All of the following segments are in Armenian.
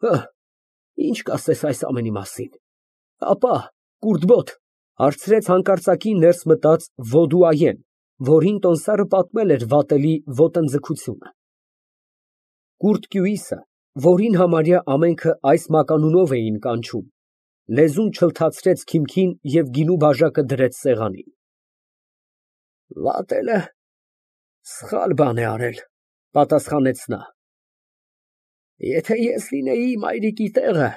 Հը, ինչ կասես այս ամենի մասին։ Ապա, կուրդբոտ, հարցրեց հանկարծակի ներս մտած Ոդուայեն, որին տոմսարը պատմել էր վատելի ոտնձգությունը։ Կուրդկյուիսը, որին համարյա ամենքը այս մականունով էին կանչում, լեզուն չլթացրեց քիմքին և գինու բաժակը դրեց սեղանին։ Վատելը սխալ բան է արել, պատասխանեց նա։ Եթե ես լինեի մայրիկի տեղը,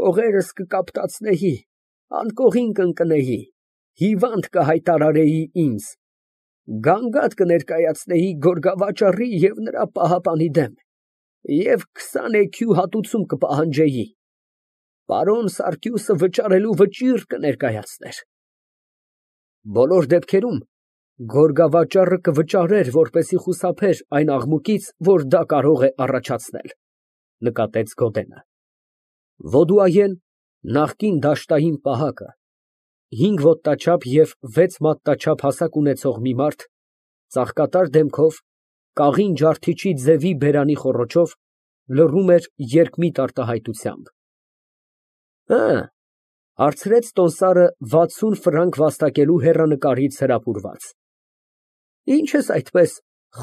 կողերս կկապտացնեի, անկողին կընկնեի, հիվանդ կհայտարարեի ինձ, գանգատ կներկայացնեի գորգավաճառի և նրա պահապանի դեմ և 20 էքու հատուցում կպահանջեի, պարոն Սարգիսը վճարելու վճիռ կներկայացներ։ Բոլոր դեպքերում գորգավաճառը կվճարեր, որպեսզի խուսափեր այն աղմուկից, որ դա կարող է առաջացնել, նկատեց Գոդենը։ Ոդուայեն, նախկին դաշտային պահակը, 5 ոտնաչափ և 6 մատնաչափ հասակ ունեցող մի մարդ, ծաղկատար դեմքով, կաղին ջարդիչի ձևի բերանի խոռոչով, լռում էր երկմիտ արտահայտությամբ։ Հարցրեց տոմսարը 60 ֆրանկ վաստակելու հեռանկարից հրապուրված։ Ինչ ես այդպես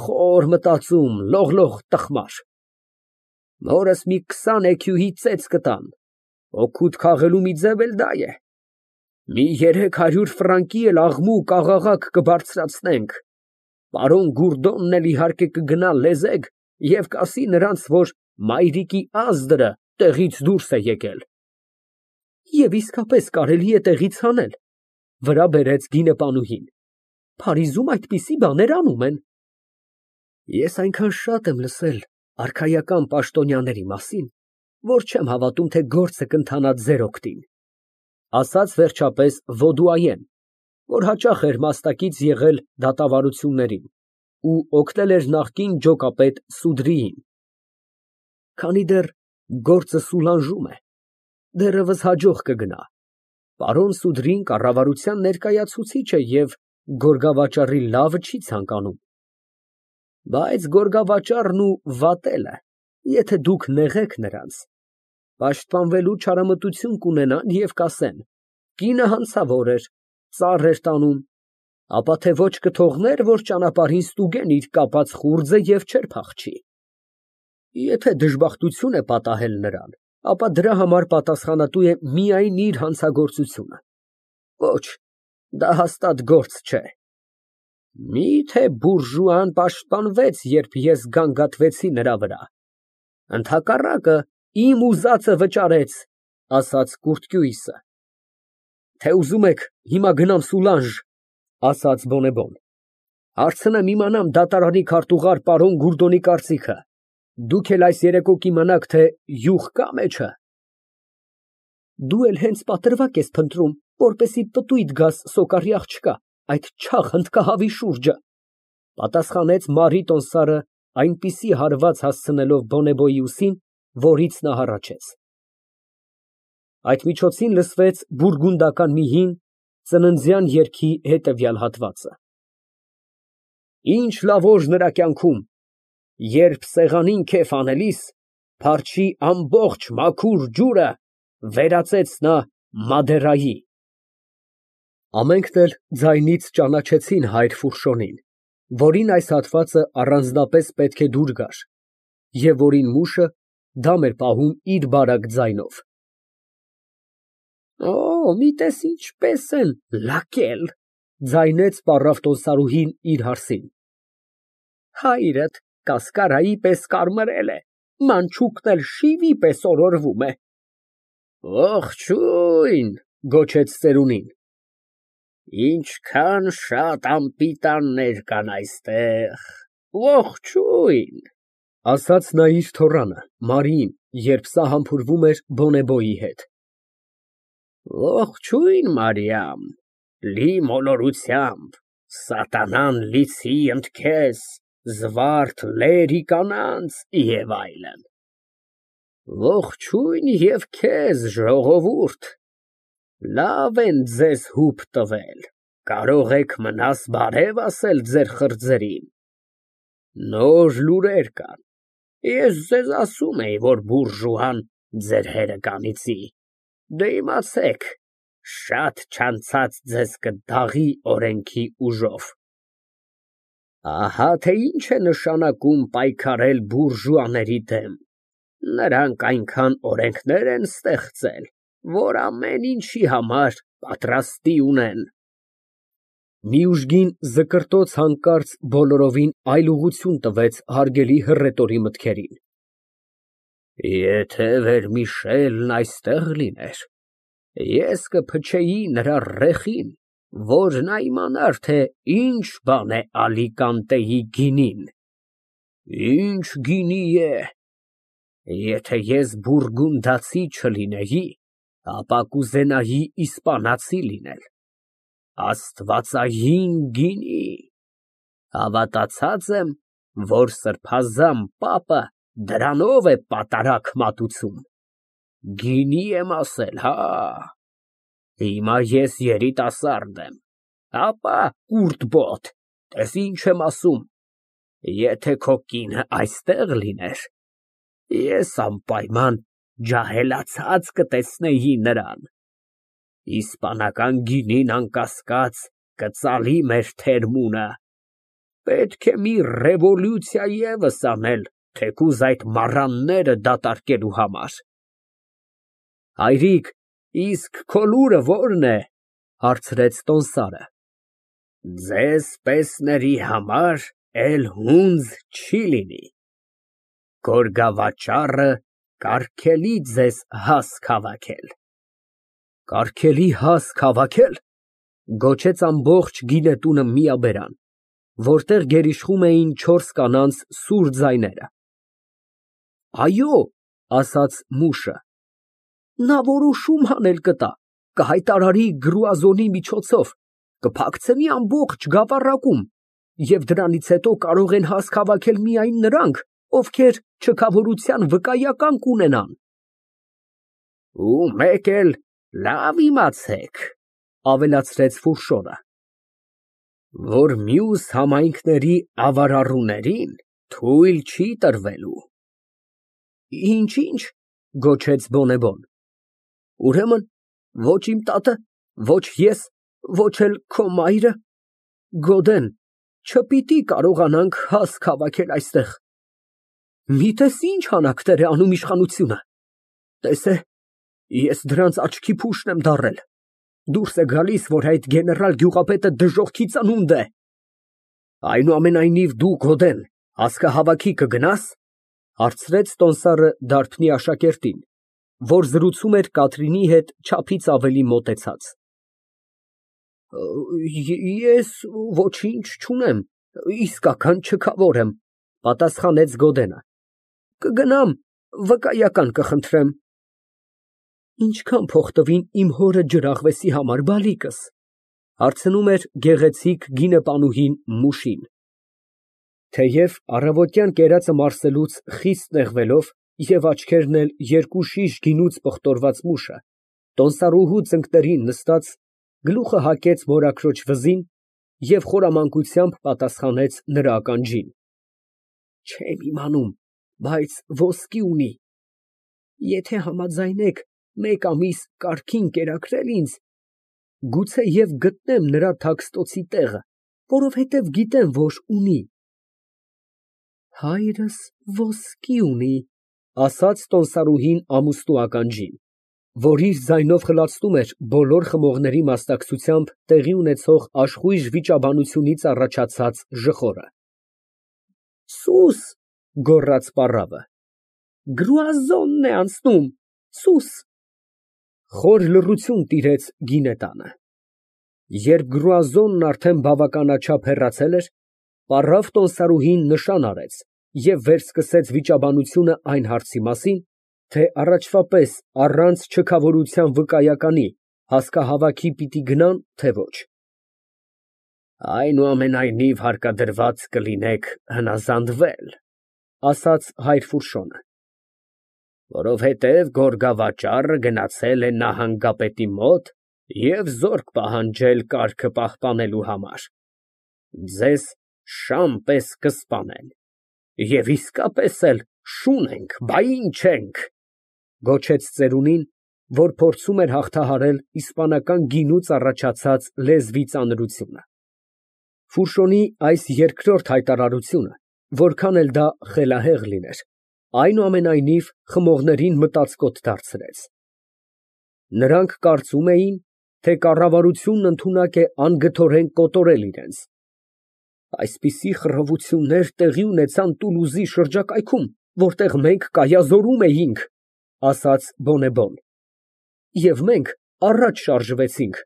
խոր մտածում, լողլող տխմար։ Մորս մի 20 էքյուհի ծեծ կտամ, օգուտ քաղելու մի ձև էլ դա է։ Մի 300 ֆրանկի էլ աղմուկ, աղաղակ կբարձրացնենք, պարոն Գուռդոնն էլ իհարկե կգնա լեզեկ և կասի նրանց, որ մայրիկի ազդրը տեղից դուրս է եկել։ Եվ իսկապես կարելի է տեղից հանել, վրա բերեց գինեպանուհին։ Փարիզում այդպիսի բաներ անում են։ Ես այնքան շատ եմ լսել արքայական պաշտոնյաների մասին, որ չեմ հավատում, թե գործը կընթանա ձեր օգտին, ասաց վերջապես Ոդուայեն, որ հաճախ էր մաստակից եղել դատավարություններին ու օգնել էր նախկին ջոկապետ Սուդրիին։ Քանի դեռ գործը սուլանժում է, դեռևս հաջող կգնա։ Պարոն Սուդրին կառավարության ներկայացուցիչ է և գորգավաճառի լավը չի ցանկանում։ Բայց գորգավաճառն ու վատելը, եթե դուք նեղեք նրանց, պաշտպանվելու չարամտություն կունենան և կասեն. կինը հանցավոր էր, ծառ էր տանում, ապա թե ոչ կթողներ, որ ճանապարհին ստուգեն իր կապած խուրձը և չէր փախչի։ Եթե դժբախտություն է պատահել նրան, ապա դրա համար պատասխանատու է միայն իր հանցագործությունը։ Ոչ, դա հաստատ գործ չէ։ Մի՞թե բուրժուան պաշտպանվեց, երբ ես գանգատվեցի նրա վրա։ Ընդհակառակը, իմ ուզածը վճարեց, ասաց Կուրծքյուիսը։ Թե ուզում եք հիմա գնամ Սուլանժ, ասաց Բոնեբոն, հարցնեմ իմանամ դատարանի քարտուղար պարոն Գուռդոնի կարծիքը, դուք էլ այս երեկո կիմանաք, թե յուղ կա մեջը։ Դու էլ հենց պատրվակ ես փնտրում, որպեսզի պտույտ գաս Սոկարի աղջկա, այդ չաղ հնդկահավի շուրջը, պատասխանեց Մարի տոմսարը այնպիսի հարված հասցնելով Բոնեբոյի ուսին, որից նա հառաչեց։ Այդ միջոցին լսվեց բուրգունդական մի հին, ծննդյան երգի հետևյալ հատվածը. Ինչ լավոժ նրա կյանքում, երբ սեղանին քեֆ անելիս, փարչի ամբողջ մաքուր ջուրը վերածեց նա Մադերայի։ Ամենքն էլ ձայնից ճանաչեցին հայր Ֆուրշոնին, որին այս հատվածը առանձնապես պետք է դուր գար, և որին մուշը դամ էր պահում իր բարակ ձայնով։ Մի տես ինչպես են լակել, ձայնեց պառավ տոմսարուհին իր հարսին։ Հայրդ կասկարայի պես կարմրել է, մանչուկն էլ շիվի պես օրորվում է։ Ողջույն, գոչեց ծերունին։ Ինչքան շատ անպիտաններ կան այստեղ, ողջույն, ասաց նա իր թոռանը, Մարիին, երբ սա համբուրվում էր Բոնեբոյի հետ։ Ողջույն, Մարիամ, լի մոլորությամբ, սատանան լիցի ընդքեզ, զվարթ լերի կանանց և այլն։ Ողջույն և քեզ, ժողովուրդ, լավ են ձեզ հուպ տվել, կարող եք մնաս բարև ասել ձեր խրձերին։ Նոր լուրեր կան, ես ձեզ ասում էի, որ բուրժուան Ձեր հերը կանիծի, դե իմացեք, շատ չանցած ձեզ կդաղի օրենքի ուժով։ Ահա թե ինչ է նշանակում պայքարել բուրժուաների դեմ։ Նրանք այնքան օրենքներ են ստեղծել, որ ամեն ինչի համար պատրաստի ունեն։ Մի ուժգին զկրտոց հանկարծ բոլորովին այլ ուղղություն տվեց հարգելի հռետորի մտքերին։ Եթե Վերմիշելն այստեղ լիներ, ես կփչեի նրա ռեխին, որ նա իմանար, թե ինչ բան է Ալիկանտեի գինին։ Ինչ գինի է։ Եթե ես բուրգունդացի չլինեի, ապա կուզենայի իսպանացի լինել։ Աստվածային գինի։ Հավատացած եմ, որ սրբազան պապը դրանով է պատարակ մատուցում։ Գինի եմ ասել, հա։ Հիմա ես երիտասարդ եմ, ապա կուրտբոտ, տես ինչ եմ ասում։ Եթե քո կինը այստեղ լիներ, ես անպայման ջահելացած կտեսնեի նրան։ Իսպանական գինին անկասկած կծալի մեր թերմունը։ Պետք է մի ռևոլյուցիա ևս անել, թեկուզ այդ մառանները դատարկելու համար։ Հայրիկ, իսկ քո լուրը ո՞րն է, հարցրեց տոմսարը։ Ձեզ պեսների համար էլ հունձ չի լինի։ Գորգավաճառը կարգելի ձեզ հասք հավաքել։ Կարգելի հասք հավաքել, գոչեց ամբողջ գինետունը միաբերան, որտեղ գերիշխում էին 4 կանանց սուր ձայները։ Այո, ասաց մուշը, նա որոշում անել կտա, կհայտարարի գրուազոնի միջոցով, կփակցնի ամբողջ գավառակում, և դրանից հետո կարող են հասք հավաքել միայն նրանք, ովքեր չքավորության վկայական կունենան։ Ու մեկ էլ լավ իմացեք, ավելացրեց Ֆուշոն, որ մյուս համայնքների ավարառուներին թույլ չի տրվելու։ Ինչ, գոչեց Բոնեբոն։ Ուրեմն ոչ իմ տատը, ոչ ես, ոչ էլ քո մայրը, Գոդեն, չպիտի կարողանանք հասք հավաքել այստեղ։ Միտես ինչ հանաքներ է անում իշխանությունը։ Տես է, ես դրանց աչքի փուշն եմ դառել։ Դուրս է գալիս, որ այդ գեներալ գյուղապետը դժոխքի ծնունդ է։ Այնուամենայնիվ դու, Գոդեն, հասկահավաքի կգնա՞ս, հարցրեց տոմսարը դարբնի աշակերտին, որ զրուցում էր Կատրինի հետ չափից ավելի մոտեցած։ Ես ոչինչ չունեմ, իսկական չքավոր եմ, պատասխանեց Գոդենը։ Կգնամ, վկայական կխնդրեմ։ Ինչքան փող տվին իմ հորը ջրաղվեսի համար, բալիկս, հարցնում էր գեղեցիկ գինեպանուհին մուշին։ Թեև առավոտյան կերածը մարսելուց խիստ նեղվելով և աչքերն էլ 2 շիշ գինուց պղտորված մուշը, տոմսարուհու ծնկներին նստած, գլուխը հագեց մորաքրոջ վզին և խորամանկությամբ պատասխանեց նրա ականջին։ Չեմ իմանում, բայց ոսկի ունի։ Եթե համաձայնեք 1 ամիս կարգին կերակրել ինձ, գուցեև գտնեմ նրա թաքստոցի տեղը, որովհետև գիտեմ, որ ունի։ Հայրս ոսկի ունի, ասաց տոմսարուհին ամուսնու ականջին, որ իր ձայնով խլացնում էր բոլոր խմողների մասնակցությամբ տեղի ունեցող աշխույժ վիճաբանությունից առաջացած ժխորը։ Սուս, գոռաց պառավը, գրուազոնն է անցնում, սուս։ Խոր լռություն տիրեց գինետանը։ Երբ գրուազոնն արդեն բավականաչափ հեռացել էր, պառավ տոմսարուհին նշան արեց և վերսկսեց վիճաբանությունը այն հարցի մասին, թե առաջվա պես առանց չքավորության վկայականի հասկահավաքի պիտի գնան, թե ոչ։ Այնուամենայնիվ հարկադրված կլինեք հնազանդվել, ասաց հայր Ֆուշոնը, որովհետև գորգավաճառը գնացել է նահանգապետի մոտ և զորք պահանջել կարգը պահպանելու համար։ Ձեզ շան պես կսպանեն, և իսկապես էլ շուն ենք, բա ինչ ենք։ Գոչեց ծերունին, որ փորձում էր հաղթահարել իսպանական գինուց առաջացած լեզվի ծանրությունը։ Ֆուշոնի այս երկրորդ հայտարարությունը, որքան էլ դա խելահեղ լիներ, այնուամենայնիվ խմողներին մտածկոտ դարձրեց։ Նրանք կարծում էին, թե կառավարությունն ընդունակ է անգթորեն կոտորել իրենց։ Այսպիսի խռովություններ տեղի ունեցան Տուլուզի շրջակայքում, որտեղ մենք կայազորում էինք, ասաց Բոնեբոն, և մենք առաջ շարժվեցինք։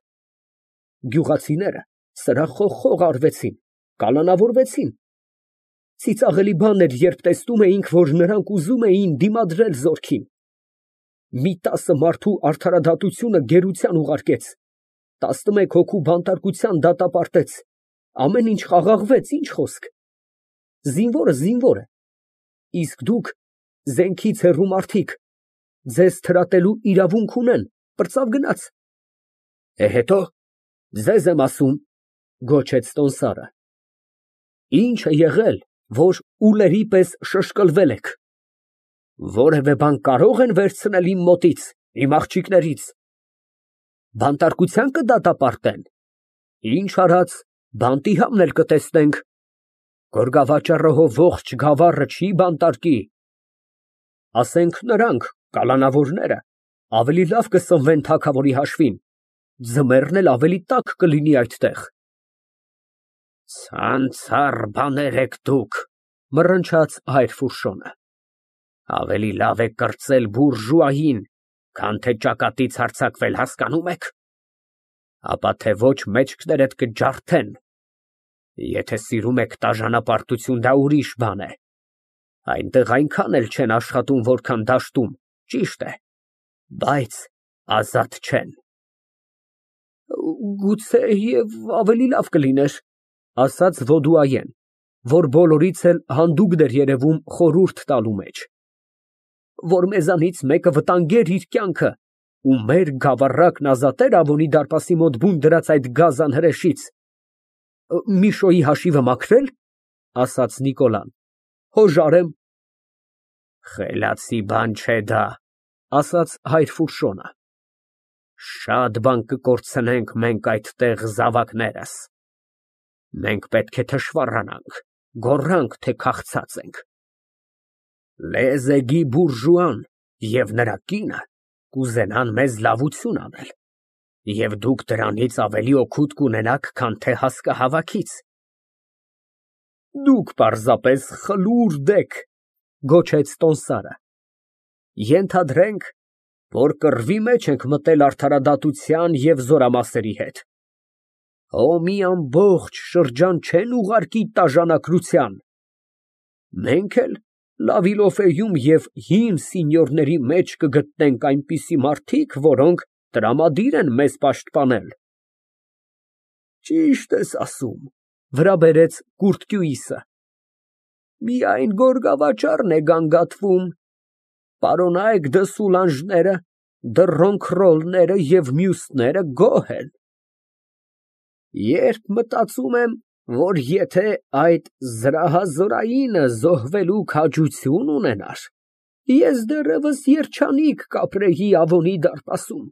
Գյուղացիները սրախոխող արվեցին, կալանավորվեցին։ Ծիծաղելի բան էր, երբ տեսնում էինք, որ նրանք ուզում էին դիմադրել զորքին։ Մի 10 մարդու արդարադատությունը գերության ուղարկեց, 11 հոգու բանտարկության դատապարտեց, ամեն ինչ խաղաղվեց, ինչ խոսք։ Զինվորը զինվոր է, իսկ դուք զենքից հեռու մարդիկ, ձեզ թրատելու իրավունք ունեն, պրծավ գնաց։ Հետո ձեզ եմ ասում, գոչեց տոմսարը, ինչ է եղել, որ ուլերի պես շշկլվել եք։ Որևէ բան կարող են վերցնել իմ մոտից, իմ աղջիկներից։ Բանտարկության կդատապարտեն։ Ինչ արած, բանտիհամն էլ կտեսնենք։ Գորգավաճառահով ողջ գավառը չի բանտարկի։ Ասենք նրանք, կալանավորները, ավելի լավ կսնվեն թագավորի հաշվին, ձմեռն էլ ավելի տաք կլինի այդտեղ։ Ցանցառ բաներ եք դուք, մռնչաց հայր Ֆուշոնը։ Ավելի լավ է կրծել բուրժուային, քան թե ճակատից հարձակվել, հասկանում եք։ Ապա թե ոչ մեջքներդ կջարդեն։ Եթե սիրում եք տաժանապարտություն, դա ուրիշ բան է։ Այնտեղ այնքան էլ չեն աշխատում, որքան դաշտում, ճիշտ է, բայց ազատ չեն։ Գուցե և ավելի լավ կլիներ, ասաց Ոդուայեն, որ բոլորից էլ հանդուգն էր երևում խորհուրդ տալու մեջ, որ մեզանից մեկը վտանգեր իր կյանքը ու մեր գավառակն ազատեր Ավոնի դարպասի մոտ բուն դրած այդ գազան հրեշից։ Միշոյի հաշիվը մաքրել, ասաց Նիկոլան, հոժարեմ։ Խելացի բան չէ դա, ասաց հայր Ֆուշոնը։ Շատ բան կկորցնենք մենք այդտեղ զավակներս։ Մենք պետք է թշվառանանք, գոռանք, թե քաղցած ենք։ Լեզեգի բուրժուան և նրա կինը կուզենան մեզ լավություն անել, և դուք դրանից ավելի օգուտ կունենաք, քան թե հասկահավաքից։ Դուք պարզապես խլուրդ եք, գոչեց տոմսարը։ Ենթադրենք, որ կռվի մեջ ենք մտել արդարադատության և զորամասերի հետ։ Մի ամբողջ շրջան չեն ուղարկի տաժանակրության։ Մենք էլ Լավիլոֆեում և հին սինյորների մեջ կգտնենք այնպիսի մարդիկ, որոնք տրամադիր են մեզ պաշտպանել։ Ճիշտ ես ասում, վրա բերեց Կուրտկյուիսը։ Միայն գորգավաճառն է գանգատվում, պարոնայք դը Սուլանժները, դը Ռոնքռոլները և մյուսները գոհ են։ Երբ մտածում եմ, որ եթե այդ զրահազորայինը զոհվելու քաջություն ունենար, ես դեռևս երջանիկ կապրեի Ավոնի դարպասում,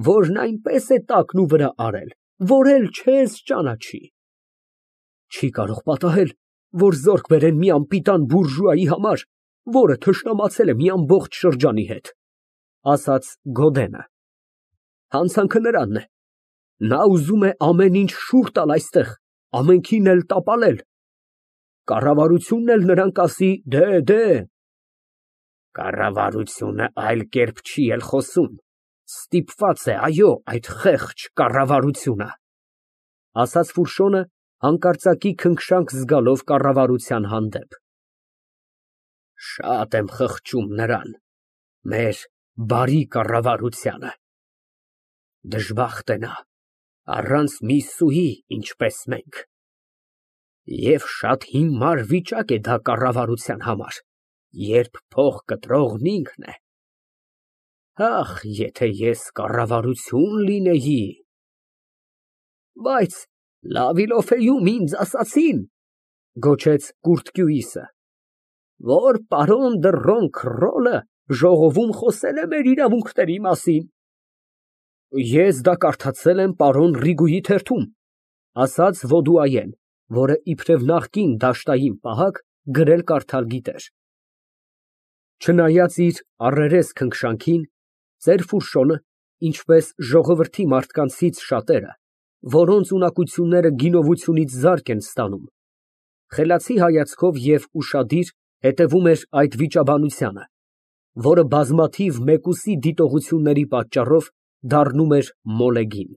որն այնպես է տակնուվրա արել, որ էլ չես ճանաչի։ Չի կարող պատահել, որ զորք բերեն մի անպիտան բուրժուայի համար, որը թշնամացել է մի ամբողջ շրջանի հետ, ասաց Գոդենը։ Հանցանքը նրանն է։ Նա ուզում է ամեն ինչ շուռ տալ այստեղ, ամենքին էլ տապալել։ Կառավարությունն էլ նրան կասի դե։ Կառավարությունը այլ կերպ չի էլ խոսում, ստիպված է, այո, այդ խեղճ կառավարությունը, ասաց Ֆուշոնը, հանկարծակի քնքշանք զգալով կառավարության հանդեպ։ Շատ եմ խղճում նրան, մեր բարի կառավարությանը։ Դժբախտ է նա, առանց մի սուի, ինչպես մենք։ Եվ շատ հիմար վիճակ է դա կառավարության համար, երբ փող կտրողն ինքն է։ Ախ, եթե ես կառավարություն լինեի։ Բայց Լավիլոֆեում ինձ ասացին, գոչեց Կուրտկյուիսը, որ պարոն դը Ռոնքռոլը Ժողովում խոսել է մեր իրավունքների մասին։ Ես դա կարդացել եմ պարոն Ռիգուի թերթում, ասաց Ոդուայեն, որը իբրև նախկին դաշտային պահակ գրել֊կարդալ գիտեր։ Չնայած իր առերես քնքշանքին, ծեր Ֆուշոն, ինչպես ժողովրդի մարդկանցից շատերը, որոնց ունակությունները գինովությունից զարկ են ստանում, խելացի հայացքով և ուշադիր հետևում էր այդ վիճաբանությանը, որը բազմաթիվ մեկուսի դիտողությունների պատճառով դառնում էր մոլեգին։